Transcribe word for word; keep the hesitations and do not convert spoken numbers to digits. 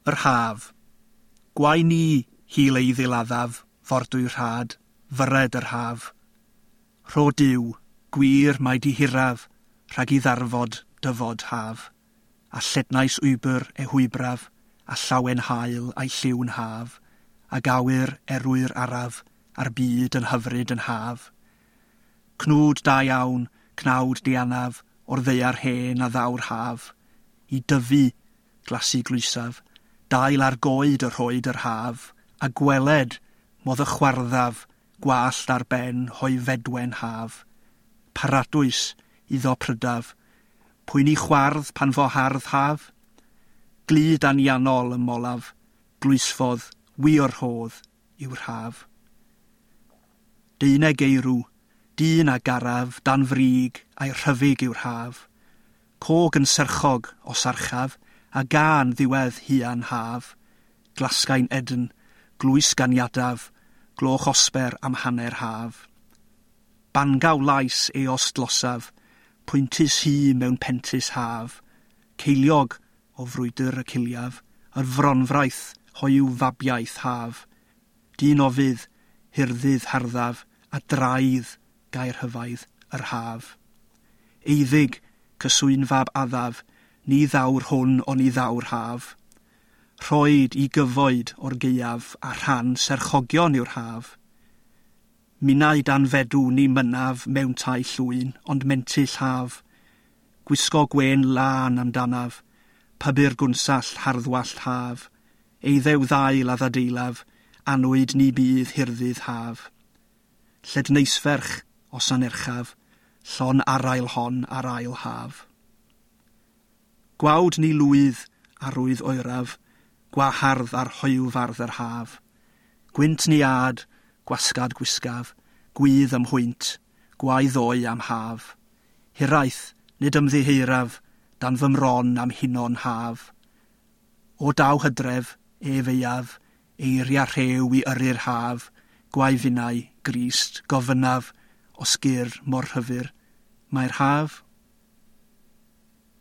Yr haf. Gwae ni, hil ei ddiladdaf, fordwy rhad, fyred yr haf. Rho Duw, gwir mae di hiraf, rhag i ddarfod dyfod haf. A llednais wybr e hwybraf, a llawen haul a'i lliw'n haf, ag awyr erwyr araf, a'r byd yn hyfryd yn haf. Cnwd da iawn, cnawd dianaf, o'r ddaear hen a ddaw'r haf. I dyfu, glasu glwysaf, dail ar goed y rhoed yr haf, a gweled, modd y chwarddaf, gwallt ar ben hoi fedwen haf. Paradwys iddo prydaf, pwy ni chwardd pan fo hardd haf? Glud anianol ym molaf, glwysfodd, wir rhodd yw'r haf. Deunaw geirw, dyn a garaf, dan frig, a'i rhyfyg yw'r haf. Cog yn serchog o sarchaf, a gan ddiwedd huan haf. Glasgain edn, glwys ganiadaf, gloch osber am hanner haf. Bangaw lais eos dlosaf, pwyntus hi mewn pentus haf. Ceiliog o frwydr y ciliaf, yr fronfraith hoyw fabiaeth haf. Dyn ofydd, hirddydd harddaf, a draidd gair hyfaidd yr haf. Eiddig, cyswyn fab addaf, ni ddawr hwn oni ddawr haf. Rhoed i gyfoed o'r gaeaf a rhan serchogion yw'r haf. Minnau dan fedw ni mynaf mewn tai llwyn, ond mentyll haf. Gwisgo gwên lân amdanaf, pybyr gwnsall harddwallt haf. Eiddew ddail a ddadeilaf, anwyd ni bydd hirddydd haf. Lledneisferch os anerchaf, llon arail hon ar ail haf. Gwawd ni lwydd arwydd oeraf, gwahardd ar hoywfardd yr haf. Gwynt ni ad, gwasgad gwisgaf, gwydd am hwynt, gwae ddoe am haf. Hiraeth, nid ymddiheiraf, dan fy mron am hunon haf. O daw hydref, ef eiaf, eiria rhew i yrru'r haf, gwae finnau, Grist, gofynnaf, os gyr mor rhyfyr, mae'r haf